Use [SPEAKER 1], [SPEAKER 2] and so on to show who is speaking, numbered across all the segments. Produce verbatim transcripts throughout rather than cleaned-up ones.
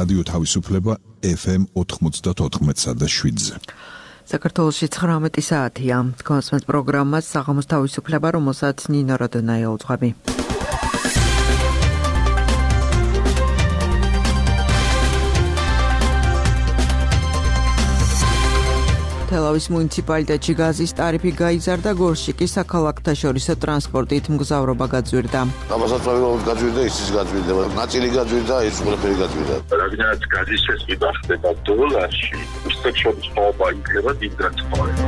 [SPEAKER 1] რადიო თავისუფლება ეფ ემ ოთხმოცდაოთხ და შვიდზე.
[SPEAKER 2] საქართველოში ცხრამეტი საათია. კონსმეთ პროგრამას საღამოს თავისუფლება, რომელსაც ნინო როდონაია უძღვები. თელავის მუნიციპალიტეტში გაზის ტარიფი გაიზარდა, გორში კი საქალაქთა შორისო ტრანსპორტით მგზავრობა გაძვირდა.
[SPEAKER 3] გამოსაცვლელად გაძვირდა, ისიც გაძვირდა, ნაწილი გაძვირდა, ის ყველაფერი გაძვირდა.
[SPEAKER 4] რადგანაც გაზის შესყიდა ხდება დოლარში, უსწრაფ შორის მოობა იქნება დიდ განსხვავება.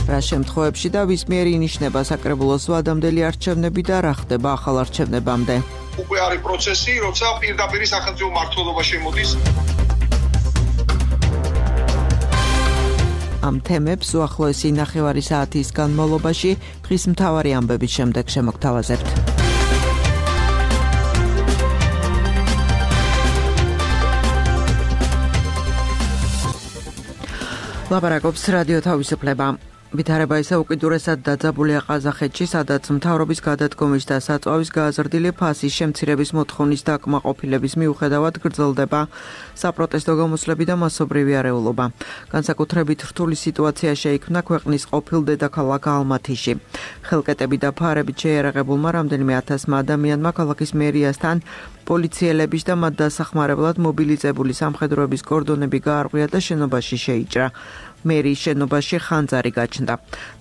[SPEAKER 2] რა შემთხვევებში და ვის მიერ ინიშნება საკრებულოს ვადამდელი არჩევნები და რა ხდება ახალ არჩევნებამდე?
[SPEAKER 5] უკვე არის პროცესი, როცა პირდაპირ სახელმწიფო მმართველობა შემოდის.
[SPEAKER 2] ამ თემებს უახლოესი ნახევარი საათის განმავლობაში დღის მთავარი ამბების შემდეგ შემოგთავაზებთ. ლაპარაკობს რადიო თავისუფლება. ვითარება ისე უკიდურესად დაძაბულია ყაზახეთში, სადაც მთავრობის გადადგომის და საწვავის გააზრდილი ფასის შემცირების მოთხოვნის დაკმაყოფილების მიუხედავად გრძელდება საპროტესტო გამოსვლები და მასობრივი არეულობა. განსაკუთრებით რთული სიტუაცია შეიქმნა ქვეყნის ყოფილ დედაქალაქ ალმათიში. ხელკეტები და ფარებით შეიარაღებულმა რამდენიმე ათასმა ადამიანმა ქალაქის მერიასთან პოლიციელების და მათ დასახმარებლად მობილიზებული სამხედროების კორდონები გაარღვია და შენობაში შეიჭრა. მერის შენობაში ხანძარი გაჩნდა.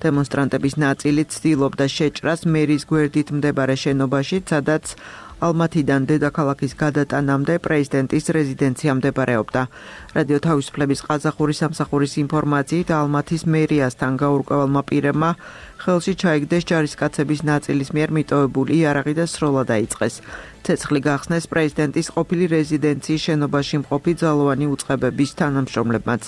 [SPEAKER 2] დემონსტრანტების ნაწილი ცდილობდა შეჭრას მერის გვერდით მდებარე შენობაში, სადაც ალმათიდან დედაქალაქის გადატანამდე პრეზიდენტის რეზიდენცია მდებარეობდა. რადიო თავისუფლების ყაზახური სამსახურის ინფორმაციით, ალმათის მერიასთან გაურკვევალმა პირებმა ხელში ჩაიგდეს ჯარისკაცების ნაწილის მიერ მიტოვებული იარაღი და სროლა დაიწყეს. ცეცხლი გახსნეს პრეზიდენტის ყოფილი რეზიდენციის შენობაში მყოფი ძალოვანი უწყებების თანამშრომლებმაც.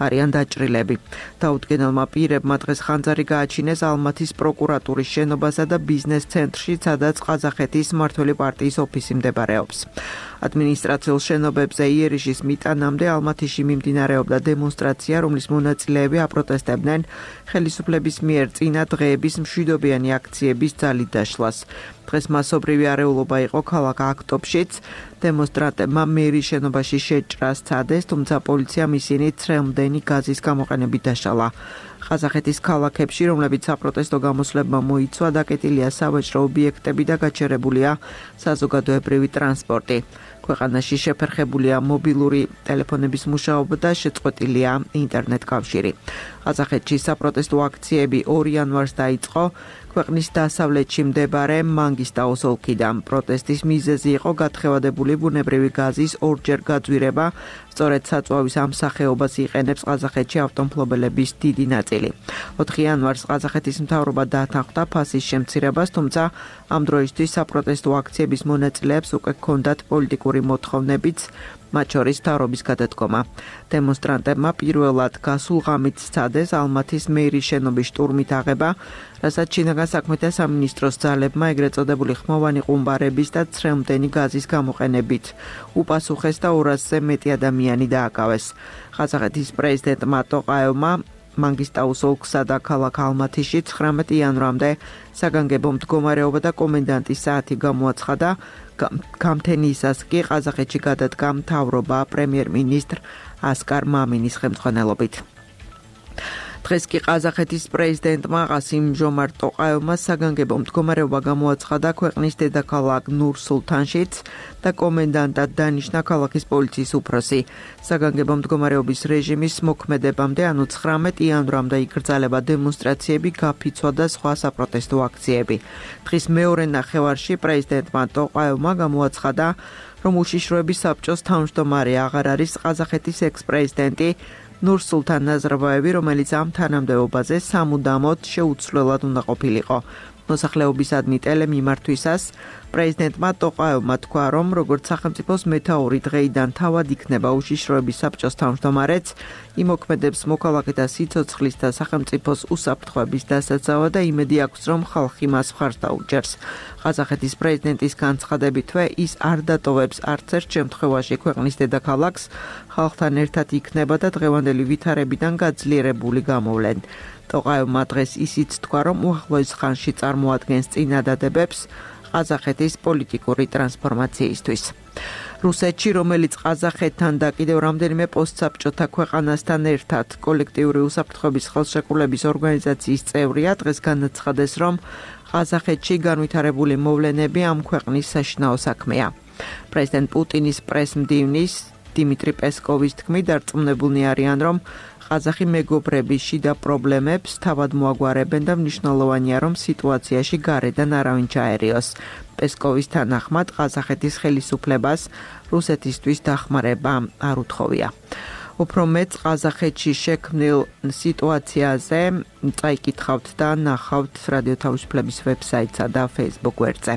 [SPEAKER 2] არიან დაჭრილები. დაუდგენელმა პირებმა დღეს ხანძარი გააჩინეს ალმათის პროკურატურის შენობასა და ბიზნეს ცენტრში, სადაც ყაზახეთის მმართველი პარტიის ოფისი მდებარეობს. ადმინისტრაციულ შენობებზე იერიშის მიტანამდე ალმათიში მიმდინარეობდა დემონსტრაცია, რომლის მონაწილეები აპროტესტებდნენ ხელისუფლების მიერ წინა დღეების მშვიდობიანი აქციების ძალით დაშლას. დღეს მასობრივი არეულობა იყო ქალაქ აქტობშიც. დემონსტრანტებმა მერის შენობაში შეჭრა სცადეს, თუმცა პოლიციამ ისინი ცრემლდენი გაზის გამოყენებით დაშალა. ყაზახეთის ქალაქებში, რომლებიც საპროტესტო გამოსვლებმა მოიცვა, დაკეტილია სავაჭრო ობიექტები და გაჩერებულია საზოგადოებრივი ტრანსპორტი. ქვეყანაში შეფერხებულია მობილური ტელეფონების მუშაობა და შეწყვეტილია ინტერნეტ კავშირი. ყაზახეთში საპროტესტო აქციები ორი იანვარს დაიწყო. ქვეყნის დასავლეთში მდებარე მანგისტაუს ოლქიდან. პროტესტის მიზეზი იყო გათხევადებული ბუნებრივი გაზის ორჯერ გაძვირება. სწორედ საწვავის ამ სახეობას იყენებს ყაზახეთში ავტომფლობელების დიდი ნაწილი. ოთხი იანვარს ყაზახეთის მთავრობა დათანხმდა ფასის შემცირებას, თუმცა ამ დროისთვის საპროტესტო აქციების მონაწილეებს უკვე ჰქონდათ პოლიტიკური მოთხოვნებიც, მათ შორის მთავრობის გადადგომა. დემონსტრანტებმა პირველად გასულ ღამით სცადეს ალმათის მერის შენობის შტურმით აღება, რასაც შინაგან საქმეთა სამინისტროს ძალებმა ეგრეთ წოდებული ხმოვანი ყუმბარების და ცრემლდენი გაზის გამოყენებით უპასუხეს და ორასზე მეტი ადამიანი დააკავეს. ყაზახეთის პრეზიდენტმა ტოყაევმა მანგისტაუს ოლქსა და ქალაქ ალმათიში ცხრამეტი იანვრამდე საგანგებო მდგომარეობა და კომენდანტის საათი გამოაცხადა. გამთენიისას კი ყაზახეთში გადადგა მთავრობა პრემიერ-მინისტრ ასკარ მამინის ხელმძღვანელობით. დღეს კი ყაზახეთის პრეზიდენტმა ყასიმ ჟომართ ტოყაევმა საგანგებო მდგომარეობა გამოაცხადა ქვეყნის დედაქალაქ ნურ-სულთანშიც და კომენდანტად დანიშნა ქალაქის პოლიციის უფროსი. საგანგებო მდგომარეობის რეჟიმის მოქმედებამდე, ანუ ცხრამეტ იანვრამდე იკრძალება დემონსტრაციები, გაფიცვა და სხვა საპროტესტო აქციები. დღის მეორე ნახევარში პრეზიდენტმა ტოყაევმა გამოაცხადა, რომ უშიშროების საბჭოს თავმჯდომარე აღარ არის ყაზახეთის ექს-პრეზიდენტი ნურ-სულთან ნაზარბაევი, რომელიც ამ თანამდებობაზე სამუდამოდ შეუცვლელად უნდა ყოფილიყო. მოსახლეობისადმი ტელემიმართვისას პრეზიდენტმა ტოყაევმა თქვა, რომ როგორც სახელმწიფოს მეთაური დღეიდან თავად იქნება უშიშროების საბჭოს თავმჯდომარეც, იმოქმედებს მოქალაქეთა სიცოცხლის და სახელმწიფოს უსაფრთხოების დასაცავად და იმედი აქვს, რომ ხალხი მას მხარს დაუჭერს. ყაზახეთის პრეზიდენტის განცხადებითვე ის არ დატოვებს არც ერთ შემთხვევაში ქვეყნის დედაქალაქს, ხალხთან ერთად იქნება და დღევანდელი ვითარებიდან გაძლიერებული გამოვლენ. ტოყაევმა დღეს ისიც თქვა, რომ უახლოეს ხანში წარმოადგენს წინადადებებს ყაზახეთის პოლიტიკური ტრანსფორმაციისთვის. რუსეთში, რომელიც ყაზახეთთან და კიდევ რამდენიმე პოსტსაბჭოთა ქვეყანასთან ერთად კოლექტიური უსაფრთხოების ხელშეკრულების ორგანიზაციის წევრია, დღეს განაცხადეს, რომ ყაზახეთში განვითარებული მოვლენები ამ ქვეყნის საშინაო საქმეა. პრეზიდენტ პუტინის პრესმდივნის დიმიტრი პესკოვის თქმით, დარწმუნებულნი არიან, რომ ყაზახი მეგობრების შიდა პრობლემებს თავად მოაგვარებენ და მნიშვნელოვანია, რომ სიტუაციაში გარედან არავინ ჩაერიოს. პესკოვის თანახმად, ყაზახეთის ხელისუფლებას რუსეთისთვის დახმარება არ უთხოვია. უფრო მეც ყაზახეთში შექმნილ სიტუაციაზე წაიკითხავთ და ნახავთ რადიო თავისუფლების ვებსაიტსა და Facebook გვერდზე.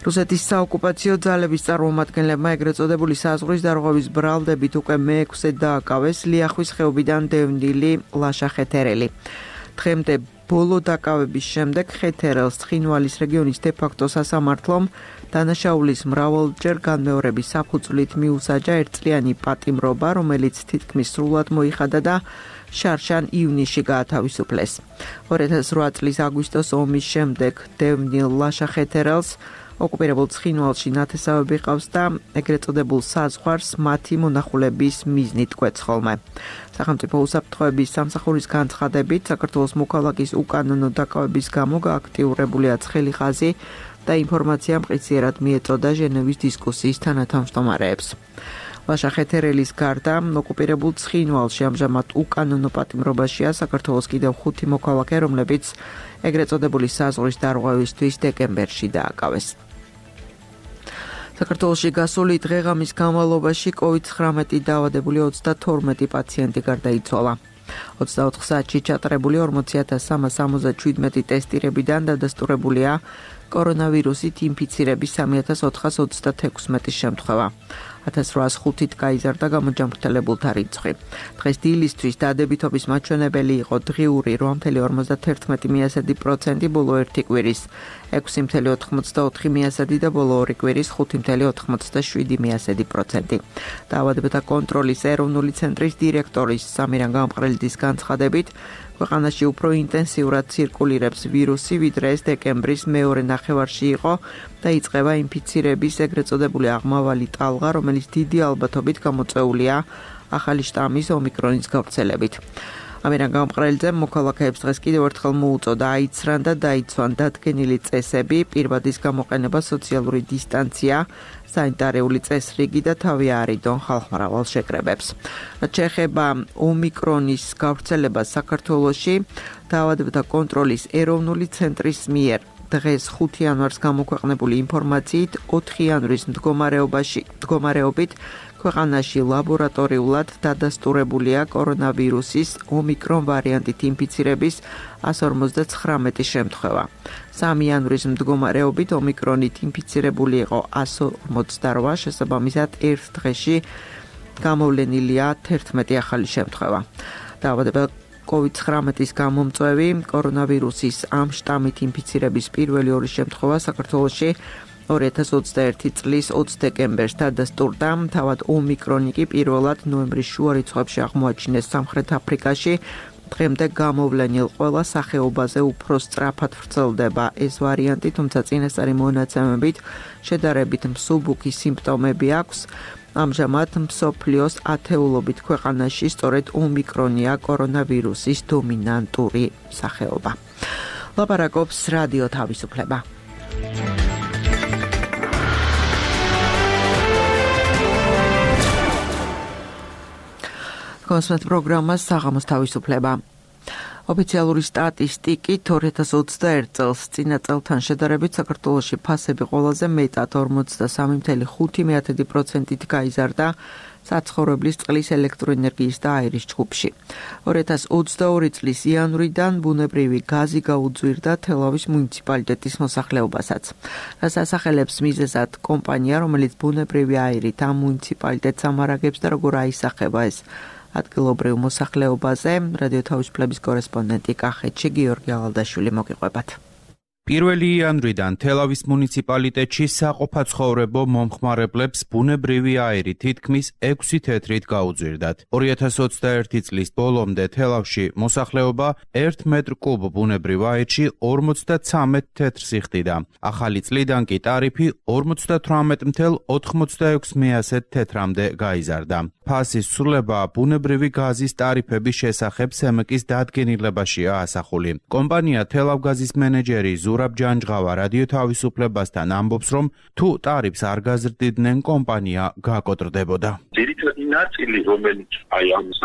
[SPEAKER 2] რუსეთის საოკუპაციო ძალების წარმომადგენლებმა ეგრეთ წოდებული საზღვრის დარღვევის ბრალდებით უკვე მეექვსე დააკავეს ლიახვის ხეობიდან დევნილი ლაშა ხეთერელი. დღემდე ბოლო დაკავების შემდეგ ხეთერელს ცხინვალის რეგიონის დე-ფაქტო სასამართლომ დანაშაულის მრავალჯერ განმეორების საფუძვლით მიუსაჯა ერთწლიანი პატიმრობა, რომელიც თითქმის სრულად მოიხადა და შარშან ივნისში გაათავისუფლეს. ორი ათას რვა წლის აგვისტოს ომის შემდეგ დევნილ ლაშა ხეთერელს ოკუპირებულ ცხინვალში ნათესავები ყავს და ეგრეთ წოდებულ საზღვარს მათი მონახულების მიზნით კვეთს ხოლმე. სახელმწიფო უსაფრთხოების სამსახურის განცხადებით, საქართველოს მოქალაქის უკანონო დაკავების გამო გააქტიურებულია ცხელი ხაზი და ინფორმაცია მყისიერად მიეწოდა ჟენევის დისკუსიის თანათავმჯდომარეებს. ლაშა ხეთერელის გარდა ოკუპირებულ ცხინვალში ამჟამად უკანონო პატიმრობაშია საქართველოს კიდევ ხუთი მოქალაქე, რომლებიც ეგრეთ წოდებული საზღვრის დარღვევისთვის დეკემბერში დააკავეს. საქართველოში გასული დღეღამის განმავლობაში კოვიდ ცხრამეტი დაავადებული ოცდათორმეტი პაციენტი გარდაიცვალა. ოცდაოთხ საათში ჩატარებული ორმოცი ათას სამას ორმოცდაშვიდმეტი ტესტირებიდან დადასტურებულია კორონავირუსით ინფიცირების სამი ათას ოთხას ოცდათექვსმეტი შემთხვევა. ათას რვაას ხუთით გაიზარდა გამოჯანმრთელებულთა რიცხვი. დღეს დილისთვის დადებითობის მაჩვენებელი იყო დღიური რვა მცდე ორმოცდაათერთმეტი პროცენტი ბოლო ერთი კვირის, ექვსი მცდე ოთხმოცდაოთხი პროცენტი და ბოლო ორი კვირის ხუთი მცდე ოთხმოცდაშვიდი პროცენტი. დაავადებათა კონტროლის ეროვნული ცენტრის დირექტორის სამირან გამყრელიძის განცხადებით, ქვეყანაში უფრო ინტენსიურად ცირკულირებს ვირუსი, ვიდრე ეს დეკემბრის მეორე ნახევარში იყო და იწყება ინფიცირების ეგრეთ წოდებული აღმავალი ტალღა, რომელიც დიდი ალბათობით გამოწვეულია ახალი შტამის ომიკრონის გავრცელებით. ამირან გამყრელიძემ მოქალაქეებს დღეს კიდევ ერთხელ მოუწოდა აიცრან და დაიცვან დადგენილი წესები, პირვადის გამოყენება, სოციალური დისტანცია, სანიტარიული წესრიგი და თავი აარიდონ ხალხმრავალ შეკრებებს. რაც შეეხება ომიკრონის გავრცელებას საქართველოში, დაავადებათა კონტროლის ეროვნული ცენტრის მიერ დღეს ხუთი იანვარს გამოქვეყნებული ინფორმაციით ოთხი იანვრის მდგომარეობაში მდგომარეობით ქვეყანაში ლაბორატორიულად დადასტურებულია კორონავირუსის ომიკრონ ვარიანტით ინფიცირების ასი ორმოცდაცხრამეტი შემთხვევა. სამი იანვრის მდგომარეობით ომიკრონით ინფიცირებული იყო ასი ორმოცდარვა, შესაბამისად ერთ დღეში გამოვლენილია თერთმეტი ახალი შემთხვევა. დაავადება კოვიდ ცხრამეტის გამომწვევი კორონავირუსის ამ შტამით ინფიცირების პირველი ორი შემთხვევა საქართველოში ორი ათას ოცდაერთი წლის ოცი დეკემბერს დადასტურდა. თავად ომიკრონი კი პირველად ნოემბრის შუა რიცხვებში აღმოაჩინეს სამხრეთ აფრიკაში. დღემდე გამოვლენილ ყველა სახეობაზე უფრო სწრაფად ვრცელდება ეს ვარიანტი, თუმცა წინასწარი მონაცემებით შედარებით მსუბუქი სიმპტომები აქვს. ამჟამად მსოფლიოს ათეულობით ქვეყანაში სწორედ ომიკრონია კორონავირუსის დომინანტური სახეობა. ლაპარაკობს რადიო თავისუფლება. კონსულტ პროგრამა საღამოს თავისუფლება. ოფიციალური სტატისტიკით ორი ათას ოცდაერთი წელს წინა წელთან შედარებით საქართველოში ფასები ყველაზე მეტად ორმოცდასამი მცდე ხუთი პროცენტით გაიზარდა, საცხოვრებლის წყლის ელექტროენერგიის და აირის ჯგუფში. ორი ათას ოცდაორი წლის იანვრიდან ბუნებრივი გაზი გაუძვირდა თელავის მუნიციპალიტეტის მოსახლეობასაც. რაც ასახელებს მიზეზად კომპანია, რომელიც ბუნებრივი აირით ამ მუნიციპალიტეტს ამარაგებს და როგორ აისახება ეს ადგილობრივ მოსახლეობაზე, რადიო თავისუფლების კორესპონდენტი კახეთში გიორგი ალალდაშვილი მოგიყვებათ.
[SPEAKER 6] პირველი იანვრიდან თელავის მუნიციპალიტეტში საყოფაცხოვრებო მომხმარებლებს ბუნებრივი აირი თითქმის ექვსი თეთრით გაუძვირდათ. ორი ათას ოცდაერთი წლის ბოლომდე თელავში მოსახლეობა ერთ მეტრ კუბ ბუნებრივ აირში ორმოცდაცამეტ თეთრს იხდიდა. ახალი წლიდან კი ტარიფი ორმოცდათვრამეტ მთელ ოთხმოცდაექვსი მეასე თეთრამდე გაიზარდა. ფასის ცვლილება ბუნებრივი გაზის ტარიფების შესახებ სემეკის დადგენილებაშია ასახული. კომპანია თელავგაზის მენეჯერი ზურაბ ჯანჯღავა რადიო თავისუფლებასთან ამბობს, რომ თუ ტარიფს არ გაზრდიდნენ, კომპანია გაკოტრდებოდა.
[SPEAKER 4] ძირითადი ნაწილი, რომელიც აი ამას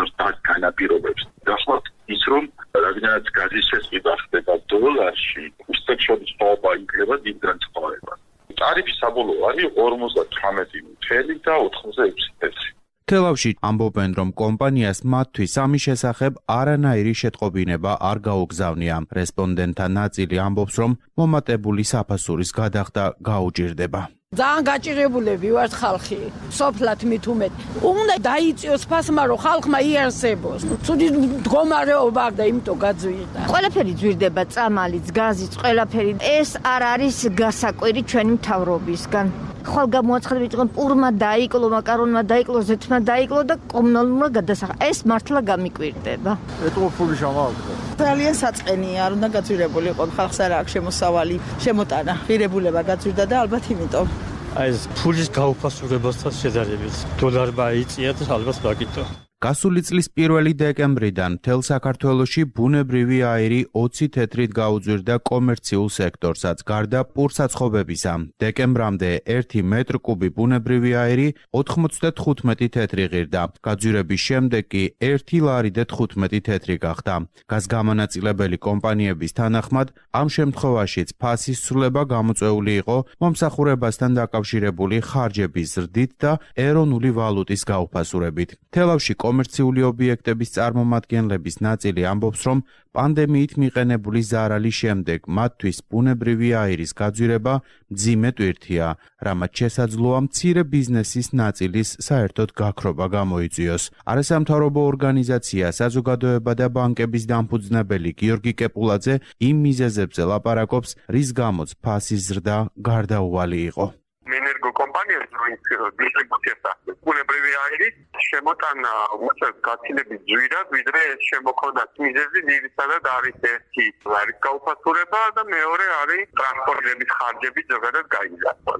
[SPEAKER 4] განაპირობებს, გახლავთ ის, რომ რადგანაც გაზის შესყიდა ხდება დოლარში, უსტექ შოუება იქნება დიდ განსხვავებას. ტარიფი საბოლოო არის ორმოცდათვრამეტი თელი და ოთხმოცდაექვსი თელი.
[SPEAKER 6] თელავში ამბობენ, რომ კომპანიას მათთვის ამის შესახებ არანაირი შეტყობინება არ გაუგზავნია. რესპონდენტთა ნაწილი ამბობს, რომ მომატებული საფასურის გადახდა გაუჭირდება.
[SPEAKER 7] ძალიან გაჭირებულები ვართ ხალხი, სოფლად მით უმეტ. უნდა დაიწიოს ფასმა, რომ ხალხმა იარსებოს. ცუდი მდგომარეობა აქვს და იმიტომ გაძვირდა.
[SPEAKER 8] ყველაფერი ძვირდება, წამალიც, გაზიც, ყველაფერი. ეს არ არის გასაკვირი ჩვენი მთავრობისგან. ხვალ გამოაცხადებით, რომ პურმა დაიკლო, მაკარონმა დაიკლო, ზეთმა დაიკლო და კომუნალურმა გადასახა. ეს მართლა გამიკვირდება.
[SPEAKER 9] ეტყობული შამაყდა.
[SPEAKER 10] ძალიან საწყენია, არ უნდა გაძვირებული იყო, ხალხს არ აქვს შემოსავალი, შემოტანა, ღირებულება გაძვირდა და ალბათ იმიტომ.
[SPEAKER 9] აი ეს ფულის გაუფასურებასთან შედარებით დოლარმა იწია და ალბათ გაკითხა.
[SPEAKER 6] გასული წლის პირველი დეკემბრიდან მთელ საქართველოში ბუნებრივი აირი ოცი თეთრით გაუძვირდა კომერციულ სექტორსაც, გარდა პურსაცხობებისა. დეკემბრამდე ერთი მეტრ კუბი ბუნებრივი აირი ოთხმოცდათხუთმეტი თეთრი ღირდა. გაძვირების შემდეგ კი ერთი ლარი და თხუთმეტი თეთრი გახდა. გაზგამანაწილებელი კომპანიების თანახმად, ამ შემთხვევაშიც ფასის ცვლილება გამოწვეული იყო მომსახურებასთან დაკავშირებული ხარჯების ზრდით და ეროვნული ვალუტის გაუფასურებით. თელავში კომერციული ობიექტების წარმომადგენლების ნაწილი ამბობს, რომ პანდემიით მიყენებული ზარალის შემდეგ მათთვის ბუნებრივი აირის გაძვირება მძიმე ტვირთია, რამაც შესაძლოა მცირე ბიზნესის ნაწილის საერთოდ გაქრობა გამოიწვიოს. არასამთავრობო ორგანიზაცია საზოგადოება და ბანკების დამფუძნებელი გიორგი კეპულაძე იმ მიზეზებზე ლაპარაკობს, რის გამოც ფასის ზრდა გარდაუვალი იყო.
[SPEAKER 4] ენერგო კომპანიებს რომელიც დისტრიბუციას ახდენს ბუნებრივი აირის შემოტანა უწევს გაცილებით ძვირად, ვიდრე შემოქონდათ მიზეზი ძირითადად არის ერთი არის გაუფასურება და მეორე არის ტრანსპორტირების ხარჯები ზოგადად გაიზარდა.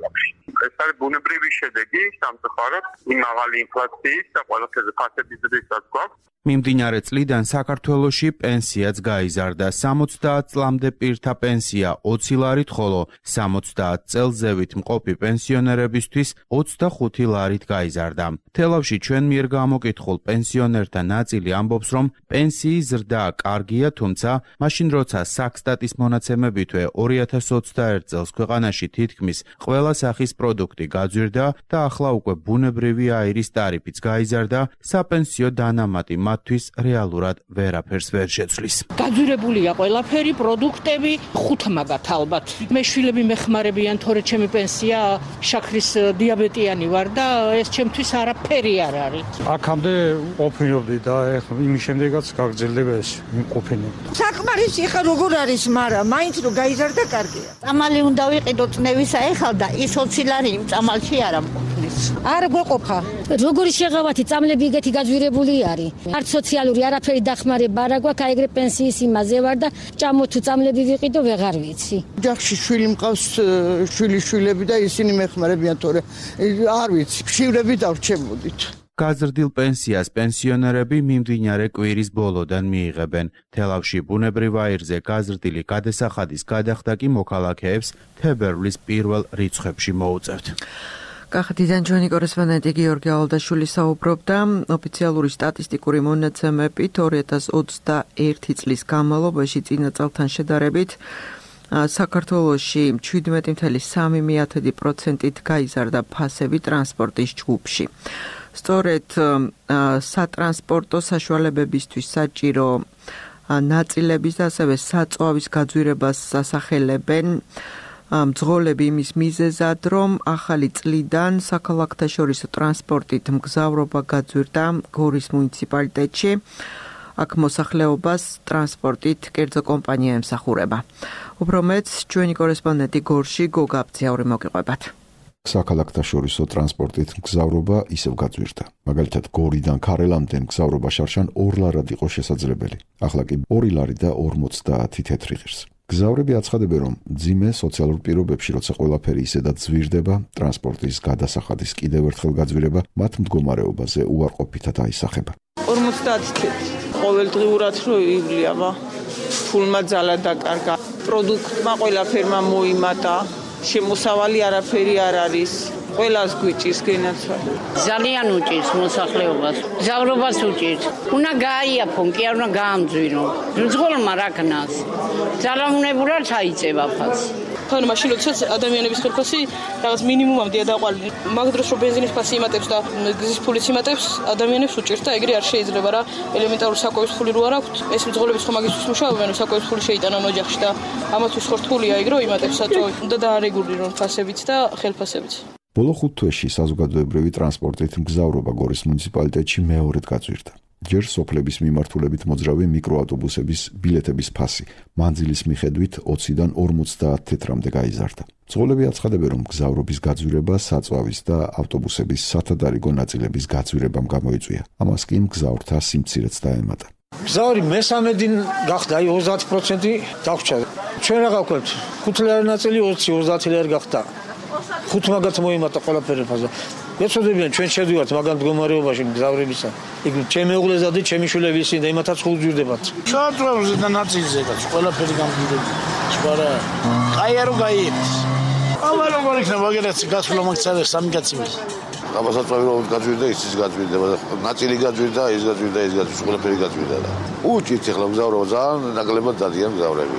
[SPEAKER 4] ეს არის ბუნებრივი შედეგი სამწუხაროდ იმ მაღალი ინფლაციის და ყველაფერზე ფასების ზრდისაც გვაქვს.
[SPEAKER 6] მიმდინარე წლიდან საქართველოში პენსიაც გაიზარდა. სამოცდაათ წლამდე პირთა პენსია ოცი ლარით, ხოლო სამოცდაათ წელზევით მყოფი პენსიონერებისთვის ოცდახუთი ლარით გაიზარდა. თელავში ჩვენ მიერ გამოკითხულ პენსიონერთა ნაწილი ამბობს, რომ პენსიის ზრდა კარგია, თუმცა მაშინ როცა საქსტატის მონაცემებითვე ორი ათას ოცდაერთ წელს ქვეყანაში თითქმის ყველა სახის პროდუქტი გაძვირდა და ახლა უკვე ბუნებრივი აირის ტარიფიც გაიზარდა, საპენსიო დანამატი თვის რეალურად ვერაფერს ვერ შეცვლის.
[SPEAKER 7] გაძვირებულია ყველაფერი, პროდუქტები, ხუთ მაგათ ალბათ. მე შვილები მეხმარებიან, თორე ჩემი პენსია შაქრის დიაბეტიანი ვარ და ეს ჩემთვის არაფერი არ არის.
[SPEAKER 9] აქამდე ყოფნიობდი და ეხლა იმის შემდეგაც გაგრძელდება ეს ყოფნა.
[SPEAKER 10] საკმარისი ხა როგორ არის, მაგრამ მაინც რო გაიზარდა კარგია.
[SPEAKER 8] წამალი უნდა ვიყიდო წნევისა ეხლა და ის ოცი ლარი იმ წამალში არ ამყოფნის.
[SPEAKER 10] არ გვეყოფა.
[SPEAKER 11] როგორი შეღავათი წამლები ეგეთი გაძვირებული არის. არც სოციალური არაფერი დახმარება არ აქვს, აი ეგრე პენსიის იმაზე ვარ და ჭამო თუ წამლები ვიყიდო ვეღარ ვიცი.
[SPEAKER 10] ოჯახში შვილი მყავს, შვილი შვილები და ისინი მეხმარებიან, თორე არ ვიცი, შვილები დავრჩემოდით.
[SPEAKER 6] გაზრდილ პენსიას პენსიონერები მიმდინარე კვირის ბოლოდან მიიღებენ. თელავში ბუნებრივ აირზე გაზრდილი გადასახადის გადახდა კი მოქალაქეებს თებერვლის პირველ რიცხვებში მოუწევთ.
[SPEAKER 2] კახეთიდან ჩვენი კორესპონდენტი გიორგი ალალდაშვილი საუბრობდა. ოფიციალური სტატისტიკური მონაცემებით ორი ათას ოცდაერთი წლის განმავლობაში წინა წელთან შედარებით საქართველოში შვიდმეტი ფاصლე სამი პროცენტით გაიზარდა ფასები ტრანსპორტის ჯგუფში. სწორედ სატრანსპორტო საშუალებებისთვის საჭირო ნაწილების და ასევე საწვავის გაძვირებას ასახელებენ მძღოლები იმის მიზეზად, რომ ახალი წლიდან საქალაქთაშორისო ტრანსპორტით მგზავრობა გაძვირდა გორის მუნიციპალიტეტში. აქ მოსახლეობას ტრანსპორტით კერძო კომპანია ემსახურება. უფრო მეც ჩვენი კორესპონდენტი გორში გოგა აბძიაური მოგიყვებათ.
[SPEAKER 1] საქალაქთაშორისო ტრანსპორტით მგზავრობა ისევ გაძვირდა. მაგალითად, გორიდან ქარელამდე მგზავრობა შარშან ორ ლარად იყო შესაძლებელი. ახლა კი ორი ლარი და ორმოცდაათი თეთრი ღირს. მგზავრები აცხადებენ, რომ მძიმე სოციალურ პირობებში, როცა ყველაფერი ისედაც ძვირდება, ტრანსპორტის გადასახადის კიდევ ერთხელ გაძვირება მათ მდგომარეობაზე უარყოფითად აისახება.
[SPEAKER 12] ორმოცდაათი თეთრი. ყოველდღიურად რო ივლია, ფულმა ძალა დაკარგა. პროდუქტმა ყველაფერმა მოიმატა. შემოსავალი არაფერი არ არის. ყველას გვიჭირს გენაცვალე.
[SPEAKER 13] ძალიან უჭირს მოსახლეობას. მგზავრობას უჭირს. უნდა გაიაფონ, კი არ უნდა გაამძვირო. მძღოლმა რა ქნას. ძალაუნებურად აიწევა ფასი.
[SPEAKER 14] თან მაშინ როდესაც ადამიანების ხელფასი რაღაც მინიმუმამდე დაყვალი. მაგ დროს რომ ბენზინის ფასი იმატებს და გზის ფულიც იმატებს, ადამიანებს უჭირს და ეგრე არ შეიძლება რა. ელემენტარული საკვების ფული რო არ აქვთ, ეს მძღოლები სხვა მაგისთვის მუშაობენ, რომ საკვების ფული შეიტანონ ოჯახში და ამათთვის ხორთულია ეგ რო იმატებს საწვავი. უნდა დაარეგულირონ ფასებიც და ხელფასებიც.
[SPEAKER 1] ბოლო ხუთ თვეში საზოგადოებრივი ტრანსპორტით მგზავრობა გორის მუნიციპალიტეტში მეორედ გაძვირდა. ჯერ სოფლების მიმართულებით მოძრავი მიკროავტობუსების ბილეთების ფასი მანძილის მიხედვით ოციდან ორმოცდაათ თეთრამდე გაიზარდა. მძღოლები აცხადებენ, რომ მგზავრობის გაძვირება საწვავის და ავტობუსების სათადარიგო ნაწილების გაძვირებამ გამოიწვია. ამას კი მგზავრთა სიმცირეც დაემატა.
[SPEAKER 15] მგზავრი მესამედი გახდა, აი ოცდაათი პროცენტი დაგვჭა. ჩვენ რა გავქვთ? ხუთი ლარი ნაწილი ოცი ოცდაათი ლარი გახდა. ხუთ მაგათ მოიმატა ყველაფერი ფაზა. ეცოდებიან ჩვენ შევდივართ მაგან მდგომარეობაში მგზავრებისა. იქ ჩემი უღლესა და ჩემი შვილები ისინი და იმათაც ხუძვირდებათ.
[SPEAKER 16] შოტროზე და ნაწილზეაც ყველაფერი გამგვირდება. სპარა. აი არო გაიებს. აბა როგორ იქნება მაგერაც გასვლა მაგცალე სამი კაცი.
[SPEAKER 3] გამოსაწვავი რომ გაძვირდა, ისიც გაძვირდება. ნაწილი გაძვირდა, ის გაძვირდა, ის გაძვირდა, ყველაფერი გაძვირდა და უჭირთ ახლა მგზავრობა ძალიან ნაკლებად დადიან მგზავრები.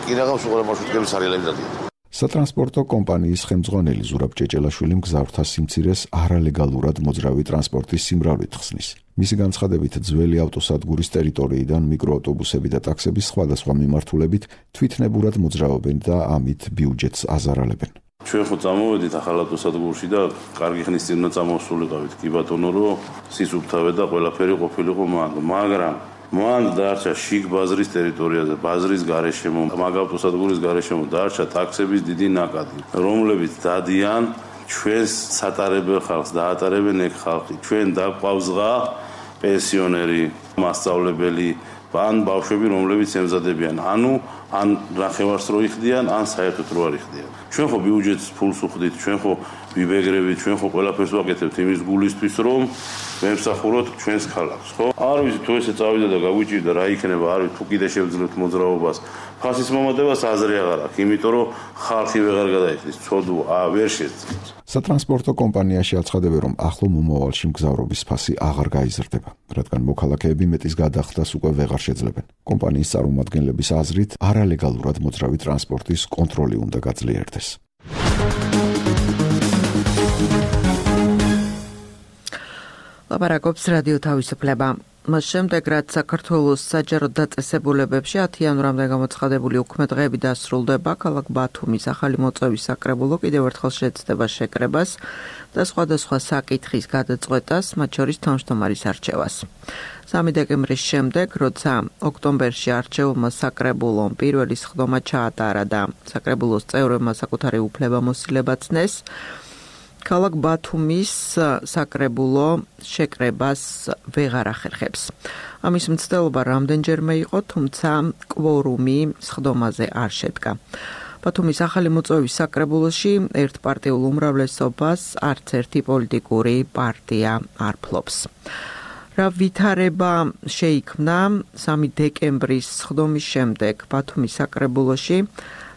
[SPEAKER 3] კინაღავს უყურე მარშრუტების არილები დადიან.
[SPEAKER 1] სატრანსპორტო კომპანიის ხელმძღვანელი ზურაბ ჭეჭელაშვილი მგზავრთა სიმცირეს არალეგალურად მოძრავი ტრანსპორტის სიმრავლით ხსნის. მისი განცხადებით, ძველი ავტოსადგურის ტერიტორიიდან მიკროავტობუსები და ტაქსები სხვადასხვა მიმართულებით თვითნებურად მოძრაობენ და ამით ბიუჯეტს აზარალებენ.
[SPEAKER 17] ჩვენ ხო წამოვედით ახალ ავტოსადგურში და კარგი ხნის წინ წამოსულიყავით. კი ბატონო, რომ სისუფთავე და ყველაფერი ყოფილიყო მანდ, მაგრამ მან დარჩა შიგ ბაზრის ტერიტორიაზე, ბაზრის გარეშემო, მაგ ავტოსადგურის გარეშემო დარჩა ტაქსების დიდი ნაკადი, რომლებიც დადიან ჩვენს სატარებელ ხალხს, დაატარებენ ეგ ხალხი. ჩვენ დაგვყავს ზღა, პენსიონერი, მასწავლებელი, ან ბავშვები, რომლებიც ემზადებიან, ანუ ან ნახევარს რო იხდიან, ან საერთოდ რო არ იხდიან. ჩვენ ხო ბიუჯეტს ფულს უხდით, ჩვენ ხო ვიბეგრებით, ჩვენ ხო ყველაფერს ვაკეთებთ იმის გულისთვის, რომ ვემსახუროთ ჩვენს ქალაქს, ხო? არ ვიცი თუ ესე წავიდა და გაგვიჭირდა რა იქნება, არ ვიცი თუ კიდე შევძლებთ მოძრაობას. ფასის მომატებას აზრი აღარ აქვს, იმიტომ რომ ხალხი ვეღარ გადაიხდის, ცოდვა, ა ვერ შეძლებს.
[SPEAKER 1] სატრანსპორტო კომპანიაში აცხადებენ, რომ ახლო მომავალში მგზავრობის ფასი აღარ გაიზრდება, რადგან მოქალაქეები მეტის გადახდას უკვე ვეღარ შეძლებენ. კომპანიის წარმომადგენლების აზრით, არალეგალურად მოძრავი ტრანსპორტის კონტროლი უნდა გაძლიერდეს.
[SPEAKER 2] ლაპარაკობს რადიო თავისუფლება. მას შემდეგ, რაც საქართველოს საჯარო დაწესებულებებში ათი იანვრამდე გამოცხადებული უქმე-დღეები დასრულდება, ქალაქ ბათუმის ახალი მოწვევის საკრებულო კიდევ ერთხელ შეეცდება შეკრებას და სხვადასხვა საკითხის გადაწყვეტას, მათ შორის თავმჯდომარის არჩევას. სამი დეკემბრის შემდეგ, როცა ოქტომბერში არჩეულმა საკრებულომ პირველი სხდომა ჩაატარა და საკრებულოს წევრებმა საკუთარი უფლებამოსილება ცნეს, ქალაქ ბათუმის საკრებულო შეკრებას ვეღარ ახერხებს. ამის მცდელობა რამდენჯერმე იყო, თუმცა კვორუმი სხდომაზე არ შედგა. ბათუმის ახალი მოწვევის საკრებულოში ერთპარტიულ უმრავლესობას არც ერთი პოლიტიკური პარტია არ ფლობს. რა ვითარება შეიქმნა სამი დეკემბრის სხდომის შემდეგ ბათუმის საკრებულოში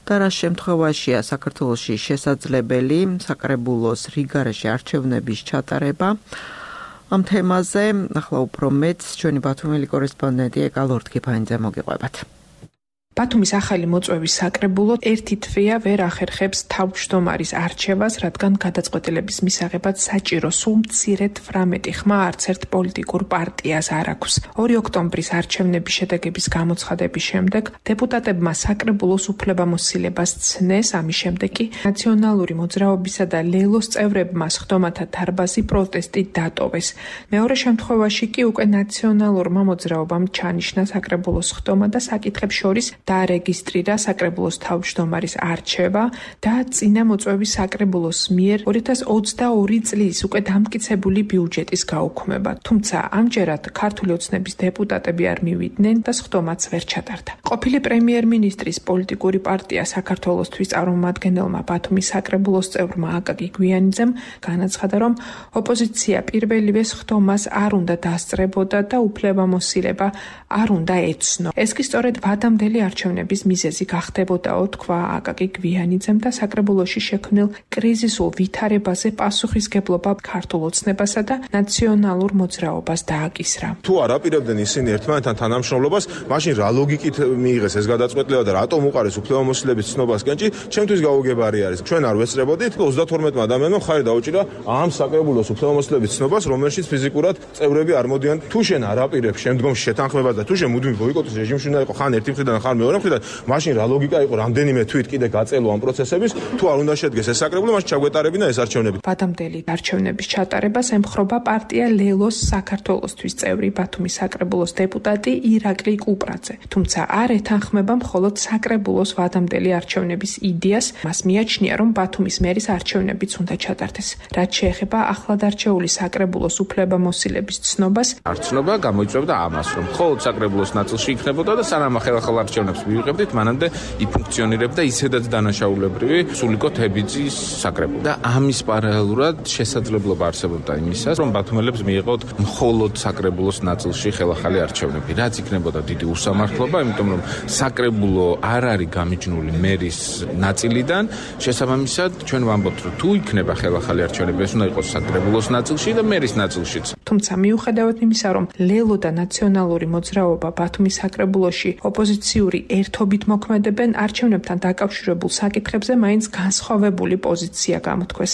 [SPEAKER 2] და რა შემთხვევაშია საქართველოში შესაძლებელი საკრებულოს რიგარეშე არჩევნების ჩატარება. ამ თემაზე ახლა უფრო მეც ჩვენი ბათუმელი კორესპონდენტი ეკა ლორდ-კიფანიძე მოგიყვებათ.
[SPEAKER 18] ბათუმის ახალი მოწვევის საკრებულო ერთი თვეა ვერ ახერხებს თავმჯდომარის არჩევას, რადგან გადაწყვეტილების მისაღებად საჭირო სულ მცირედ ვრამეტი ხმა არც ერთ პოლიტიკურ პარტიას არ აქვს. ორი ოქტომბრის არჩევნების შედეგების გამოცხადების შემდეგ დეპუტატებმა საკრებულოს უფლებამოსილებას ცნეს, ამის შემდეგ კი ნაციონალური მოძრაობისა და ლელოს წევრებმა სხდომათა დარბაზი პროტესტით დატოვეს. მეორე შემთხვევაში კი უკვე ნაციონალურმა მოძრაობამ ჩანიშნა საკრებულოს სხდომა და საკითხებს შორის დაარეგისტრირა საკრებულოს თავმჯდომარის არჩევა და წინა მოწვევის საკრებულოს მიერ ორი ათას ოცდაორი წლის უკვე დამტკიცებული ბიუჯეტის გაუქმება. თუმცა ამჯერად ქართული ოცნების დეპუტატები არ მივიდნენ და სხდომაც ვერ ჩატარდა. ყოფილი პრემიერ-მინისტრის პოლიტიკური პარტია საქართველოსთვის წარმომადგენელმა ბათუმის საკრებულოს წევრმა აკაკი გვიანიძემ განაცხადა, რომ ოპოზიცია პირველივე სხდომას არ უნდა დასწრებოდა და უფლებამოსილება არ უნდა ეცნო. ეს კი სწორედ ვადამდელი არჩევნების მიზეზი გახდებოდაო, თქვა აკაკი გვიანიძემ და საკრებულოში შექმნილ კრიზისულ ვითარებაზე პასუხისგებლობა ქართულ ოცნებასა და ნაციონალურ მოძრაობას დააკისრა.
[SPEAKER 19] თუ არ აპირებდნენ ისინი ერთმანეთთან თანამშრომლობას, მაშინ რა ლოგიკით მიიღეს ეს გადაწყვეტილება და რატომ უყარეს უფლებამოსილების ცნობას კენჭი, ჩემთვის გაუგებარი არის. ჩვენ არ ვესწრებოდით ოცდათორმეტმა ადამიანმა ხარი დაუჭირა ამ საკრებულოს უფლებამოსილების ცნობას, რომელშიც ფიზიკურად წევრები არ მოდიან. თუ შენ არ აპირებ შემდგომში შეთანხმებას და თუ შენ მუდმივ ბოიკოტის რეჟიმში უნდა იყო ხან ერთი მხრიდან ხან მეორე მხრიდან, მაშინ რა ლოგიკა იყო რამდენიმე თვით კიდე გაწელო ამ პროცესების, თუ არ უნდა შედგეს ეს საკრებულო, მაშინ ჩაგვეტარებინა ეს არჩევნები.
[SPEAKER 18] ვადამდელი არჩევნების ჩატარებას ემხრობა პარტია ლელოს საქართველოსთვის წევრი ბათუმის საკრებულოს დეპუტატი ირაკლი კუპრაძე. თუმცა არ ეთანხმება მხოლოდ საკრებულოს ვადამდელი არჩევნების იდეას, მას მიაჩნია, რომ ბათუმის მერის არჩევნებიც უნდა ჩატარდეს. რაც შეეხება ახლადარჩეული საკრებულოს უფლებამოსილების ცნობას,
[SPEAKER 20] არჩევნობა გამოიწვევდა ამას, რომ მხოლოდ საკრებულოს ნაწილში იქნებოდა და სანამ ახალ არჩევნებს მივიღებდით, მანამდე იფუნქციონირებდა ისედაც დანაშაულებრივი სულიკო თებიძის საკრებულო. და ამის პარალელურად შესაძლებლობა არსებობდა იმისას, რომ ბათუმელებს მიიღოთ მხოლოდ საკრებულოს ნაწილში ხელახალი არჩევნები, რაც იქნებოდა დიდი უსამართლობა, იმიტომ რომ საკრებულო არ არის გამიჯნული მერის ნაწილიდან, შესაბამისად ჩვენ ვამბობთ, რომ თუ იქნება ხელახალი არჩევნები, ეს უნდა იყოს საკრებულოს ნაწილში და მერის ნაწილშიც.
[SPEAKER 18] თუმცა მიუხედავად იმისა, რომ ლელო და ნაციონალური მოძრაობა ბათუმის საკრებულოში ოპოზიციური ერთობით მოქმედებენ, არჩევნებთან დაკავშირებულ საკითხებზე მაინც განსხვავებული პოზიცია გამოთქვეს.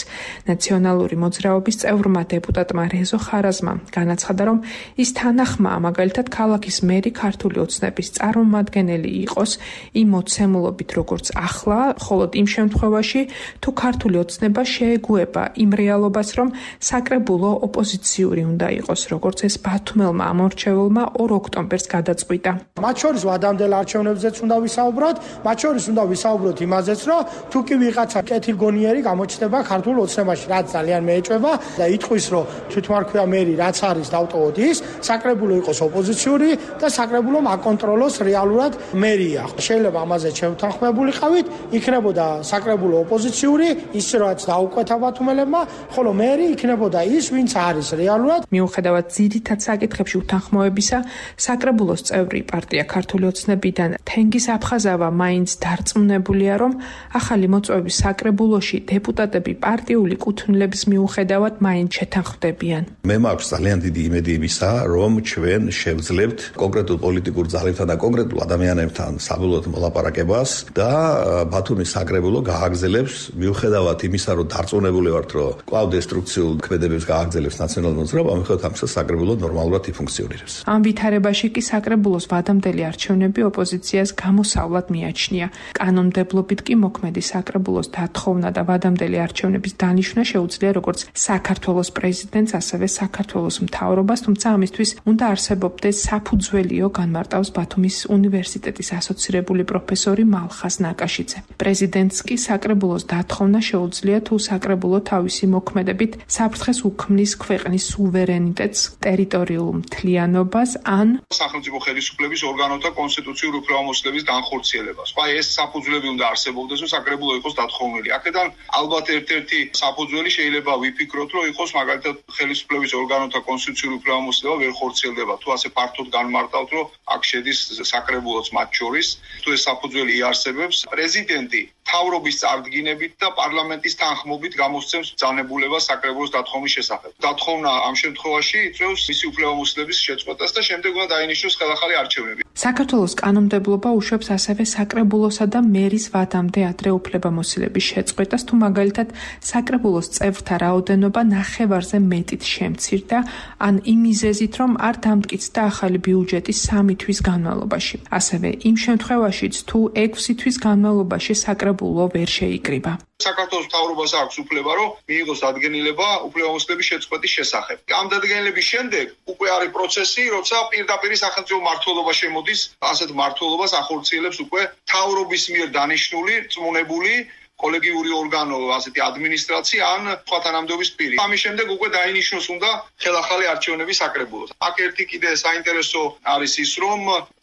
[SPEAKER 18] ნაციონალური მოძრაობის წევრმა დეპუტატმა რეზო ხარაზმამ განაცხადა, რომ ის თანახმაა მაგალითად ქალაქის მერი ქართული ოცნების წარმომადგენელი იყოს იმ მოცემულობით, როგორც ახლა, მხოლოდ იმ შემთხვევაში, თუ ქართული ოცნება შეეგუება იმ რეალობას, რომ საკრებულო ოპოზიციური უნდა იყოს, როგორც ეს ბათუმელმა ამორჩეულმა ორ ოქტომბერს გადაწყვიტა.
[SPEAKER 21] მათ შორის ვადამდელ არჩევნებზეც უნდა ვისაუბროთ, მათ შორის უნდა ვისაუბროთ იმაზეც, რომ თუ კი ვიღაცა კეთილგონიერი გამოჩნდება ქართულ ოცნებაში, რაც ძალიან მეეჭვება და იტყვის, რომ თვითმარქვია მერი რაც არის დავტოვოთ ის, საკრებულო იყოს ოპოზიციური და საკრებულომ აკონტროლოს რეალურად მერია. შეიძლება ამაზე შევთანხმებულიყავით, იქნებოდა საკრებულო ოპოზიციური, ის რაც დაუკვეთა ბათუმელებმა, ხოლო მერი იქნებოდა ის, ვინც არის რეალურად.
[SPEAKER 18] მიუხედავად ძირითად საკითხებში უთანხმოებისა, საკრებულოს წევრი პარტია ქართული ოცნებიდან თენგის აფხაზავა მაინც დარწმუნებულია, რომ ახალი მოწვევის საკრებულოში დეპუტატები პარტიული კუთვნილების მიუხედავად მაინც შეთანხმდებიან.
[SPEAKER 22] მე მაქვს ძალიან დიდი იმედი იმისა, რომ ჩვენ შევძლებთ კონკრეტულ პოლიტიკურ ძალებთან და კონკრეტულ ადამიანებთან საბოლოოდ მოლაპარაკებას და ბათუმის საკრებულო გააგრძელებს მიუხედავად იმისა, რომ დარწმუნებული ვართ, რომ კვლავ დესტრუქციულ ქმედებებს გააგრძელებს ნაციონალური მოძრაობა, მიუხედავად ამისა საკრებულო ნორმალურად იფუნქციონირებს.
[SPEAKER 18] ამ ვითარებაში კი საკრებულოს ვადამდელი არჩევნები ოპოზიციას გამოსავლად მიაჩნია. კანონმდებლობით კი მოქმედი საკრებულოს დათხოვნა და ვადამდელი არჩევნების დანიშვნა შეუძლია როგორც საქართველოს პრეზიდენტს, ასევე საქართველოს მთავრობას, თუმცა ამისთვის უნდა არსებობდეს საფუძველიო, განმარტავს ბათუმის უნივერსიტეტის ასოცირებული პროფესორი მალხას ნაკაშიძე. პრეზიდენტს კი საკრებულოს დათხოვნა შეუძლია, თუ საკრებულო თავისი მოქმედებით საფრთხეს უქმნის ქვეყნის სუვერენიტეტს, ტერიტორიულ მთლიანობას ან
[SPEAKER 5] სახელმწიფო ხელისუფლების ორგანოთა კონსტიტუციურ უფლებამოსილების განხორციელებას. აი ეს საფუძვლები უნდა არსებობდეს, რომ საკრებულო იყოს დათხოვნილი. აქედან ალბათ ერთ-ერთი საფუძველი შეიძლება ვიფიქროთ, რომ იყოს მაგალითად ხელისუფლების ორგანოთა კონსტიტუციური უფლებამოსილება ვერ ხორციელდება. თუ ასე ფართოდ განმარტავთ, რომ აქ შედის საკრებულოც მათ შორის, თუ ეს საფუძველი იარსებებს, პრეზიდენტი მთავრობის წარდგინებით და პარლამენტის თანხმობით გამოსცემს ბრძანებულებას საკრებულოს დათხოვნის შესახებ. დათხოვნა ამ შემთხვევაში იწვევს მისი უფლებამოსილების შეწყვეტას და შემდეგ უნდა დაინიშნოს ხელახალი არჩევნები.
[SPEAKER 18] საქართველოს კანონმდებლობა უშვებს ასევე საკრებულოსა და მერის ვადამდე ადრე უფლებამოსილების შეწყვეტას, თუ მაგალითად საკრებულოს წევრთა რაოდენობა ნახევარზე მეტით შემცირდა, ან იმ მიზეზით, რომ არ დამტკიცდა ახალი ბიუჯეტი სამი თვის განმავლობაში. ასევე იმ შემთხვევაშიც, თუ ექვსი თვის განმავლობაში საკრებულო ვერ შეიკრიბა.
[SPEAKER 5] საქართველოს მთავრობას აქვს უფლება, რომ მიიღოს დადგენილება უფლებამოსილების შეწყვეტის შესახებ. ამ დადგენილების შემდეგ უკვე არის პროცესი, როცა პირდაპირ სახელმწიფო მმართველობა შემოდის, ასეთ მმართველობას ახორციელებს უკვე მთავრობის მიერ დანიშნული, წმუნებული კოლეგიური ორგანო, ასეთი ადმინისტრაცია ან სხვა თანამდებობის პირი. ამის შემდეგ უკვე დაინიშნოს უნდა ხელახალი არჩევნების საკრებულოს. აქ ერთი კიდე საინტერესო არის ის, რომ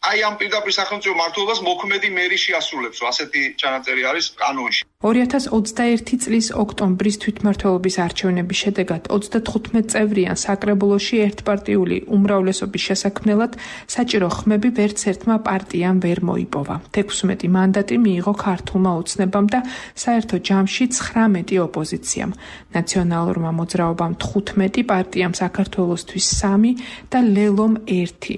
[SPEAKER 5] აი ამ პირდაპირ სახელმწიფო მმართველობას მოქმედი მერი შეასრულებს, ასეთი ჩანაწერი არის კანონში.
[SPEAKER 18] ორი ათას ოცდაერთი წლის ოქტომბრის თვითმმართველობის არჩევნების შედეგად ოცდათხუთმეტ წევრიან საკრებულოში ერთპარტიული უმრავლესობის შესაქმნელად საჭირო ხმები ვერც ერთმა პარტიამ ვერ მოიპოვა. თექვსმეტი მანდატი მიიღო ქართულმა ოცნებამ და საერთო ჯამში ცხრამეტი ოპოზიციამ. ნაციონალურმა მოძრაობამ თხუთმეტი, პარტიამ საქართველოსთვის სამი და ლელომ ერთი.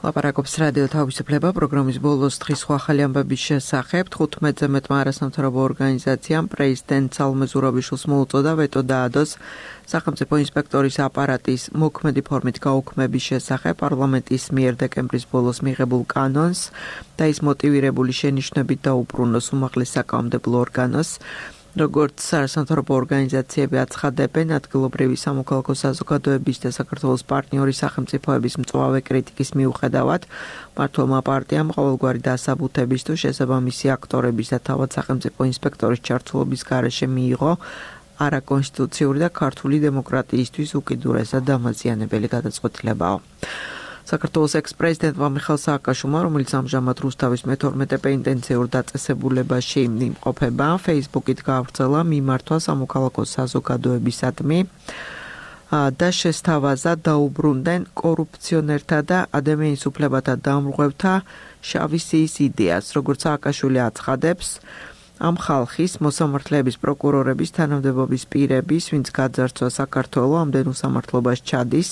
[SPEAKER 2] ლაპარაკობს რადიო თავისუფლება პროგრამის ბოლოს დღის სხვა ახალი ამბების შესახებ. თხუთმეტზე მეტმა არასამთავრობო ორგანიზაციამ პრეზიდენტ სალომე ზურაბიშვილს მოუწოდა ვეტო დაადოს სახელმწიფო ინსპექტორის აპარატის მოქმედი ფორმით გაუქმების შესახებ პარლამენტის მიერ დეკემბრის ბოლოს მიღებულ კანონს და ის მოტივირებული შენიშვნებით დაუბრუნოს უმაღლეს საკანონმდებლო ორგანოს. როგორც არასამთავრობო ორგანიზაციები აცხადებენ, ადგილობრივი სამოქალაქო საზოგადოების და საქართველოს პარტნიორი სახელმწიფოების მწვავე კრიტიკის მიუხედავად, მმართველმა პარტიამ ყოველგვარი დასაბუთების თუ შესაბამისი აქტორების და თავად სახელმწიფო ინსპექტორის ჩართულობის გარეშე მიიღო არაკონსტიტუციური და ქართული დემოკრატიისთვის უკიდურესად დამაზიანებელი გადაწყვეტილებაო. საქართველოს ექს-პრეზიდენტმა მიხეილ სააკაშვილმა, რომელიც ამჟამად რუსთავის მეთორმეტე პენიტენციურ დაწესებულებაში იმყოფება, Facebook-ით გაავრცელა მიმართვა სამოქალაქო საზოგადოებისადმი და შესთავაზა დაუბრუნდნენ კორუფციონერთა და ადამიანის უფლებათა დამრღვევთა შავი სიის იდეას, როგორც სააკაშვილი აცხადებს. ამ ხალხის მოსამართლეების პროკურორების თანამდებობის პირების, ვინც გაძარცვა საქართველო, ამდენ უსამართლობას ჩადის,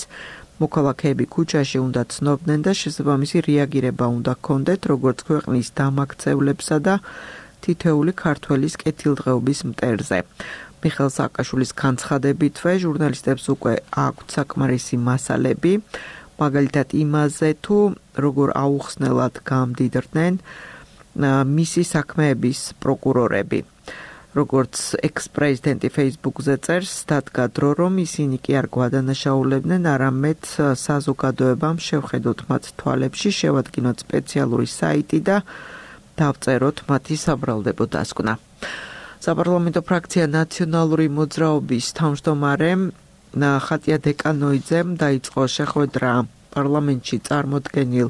[SPEAKER 2] მოქალაქეები ქუჩაში უნდა ცნობდნენ და შესაბამისი რეაგირება უნდა ჰქონდეთ, როგორც ქვეყნის დამაქცევლებსა და თითოეული ქართველის კეთილდღეობის მტერზე. მიხეილ სააკაშვილის განცხადებითვე ჟურნალისტებს უკვე აქვთ საკმარისი მასალები, მაგალითად იმაზე, თუ როგორ აუხსნელად გამდიდრდნენ მისი საქმეების პროკურორები. როგორც ექს-პრეზიდენტი Facebook-ზე წერს, დადგა დრო, რომ ისინი კი არ გვადანაშაულებდნენ, არამედ საზოგადოებამ შევხედოთ მათ თვალებში, შევადგინოთ სპეციალური საიტი და დავწეროთ მათი საბრალდებო დასკვნა. საპარლამენტო ფრაქცია ნაციონალური მოძრაობის თავმჯდომარემ ხატია დეკანოიძემ დაიწყო შეხვედრა პარლამენტში წარმოდგენილ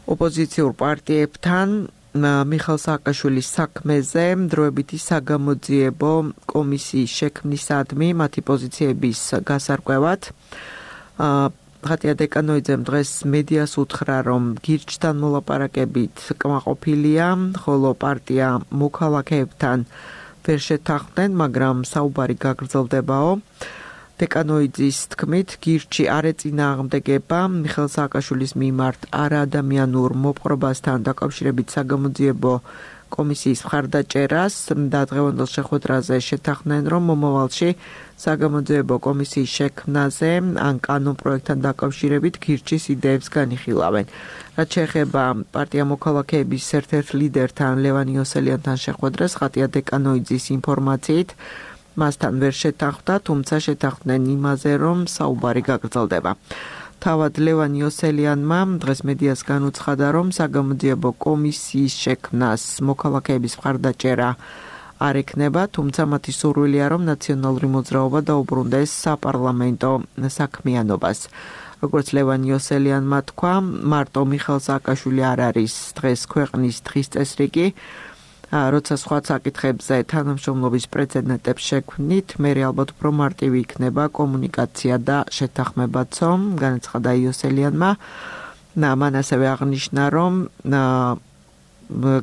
[SPEAKER 2] ოპოზიციურ პარტიებთან მიხეილ სააკაშვილის საქმეზე დროებითი საგამოძიებო კომისიის შექმნისადმი მათი პოზიციების გასარკვევად. ხატია დეკანოიძემ დღეს მედიას უთხრა, რომ გირჩთან მოლაპარაკებით კმაყოფილია, ხოლო პარტია მოქალაქეებთან ვერ შეთანხმდნენ, მაგრამ საუბარი გაგრძელდებაო. დეკანოიძის თქმით, გირჩი არ ეწინააღმდეგება მიხეილ სააკაშვილის მიმართ არაადამიანურ მოპყრობასთან დაკავშირებით საგამოძიებო კომისიის მხარდაჭერას და დღევანდელ შეხვედრაზე შეთანხმდნენ, რომ მომავალში საგამოძიებო კომისიის შექმნაზე ან კანონ პროექტთან დაკავშირებით გირჩის იდეებს განიხილავენ. რაც შეეხება პარტია მოქალაქეების ერთ-ერთ ლიდერთან ლევან იოსელიანთან შეხვედრას, ხატია დეკანოიძის ინფორმაციით მასთან ვერ შეთანხმდა, თუმცა შეთანხმდნენ იმაზე, რომ საუბარი გაგრძელდება. თავად ლევან იოსელიანმა დღეს მედიას განუცხადა, რომ საგამოძიებო კომისიის შექმნას მოქალაქეების მხარდაჭერა არ ექნება, თუმცა მათი სურვილია, რომ ნაციონალური მოძრაობა დაუბრუნდეს საპარლამენტო საქმიანობას. როგორც ლევან იოსელიანმა თქვა, მარტო მიხეილ სააკაშვილი არ არის დღეს ქვეყნის დღის წესრიგი, როცა სხვა საკითხებზე თანამშრომლობის პრეცედენტებს შექმნით, მერე ალბათ უფრო მარტივი იქნება კომუნიკაცია და შეთანხმებაცო, განაცხადა იოსელიანმა. მან ასევე აღნიშნა, რომ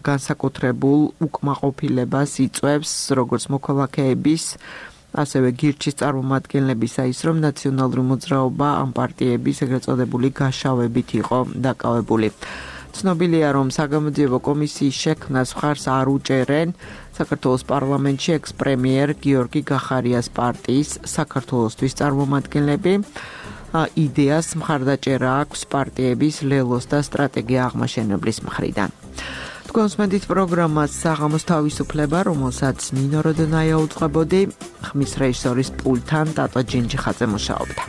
[SPEAKER 2] განსაკუთრებულ უკმაყოფილებას იწვევს როგორც მოქალაქეების, ასევე გირჩის წარმომადგენლებისა ის, რომ ნაციონალური მოძრაობა ამ პარტიების ეგრეთ წოდებული გაშავებით იყო დაკავებული. ცნობილია, რომ საგამოძიებო კომისიის შექმნას მხარს არ უჭერენ საქართველოს პარლამენტში ექს-პრემიერ გიორგი გახარიას პარტიის საქართველოსთვის წარმომადგენლები. იდეას მხარდაჭერა აქვს პარტიების ლელოს და სტრატეგია აღმაშენებლის მხრიდან. თქვენს მედით პროგრამას საღამოს თავისუფლება, რომელსაც ნინო როდონაია უწყებოდი, ხმის რეჟისორის პულტთან ტატო ჯინჯიხაძე მუშაობდა.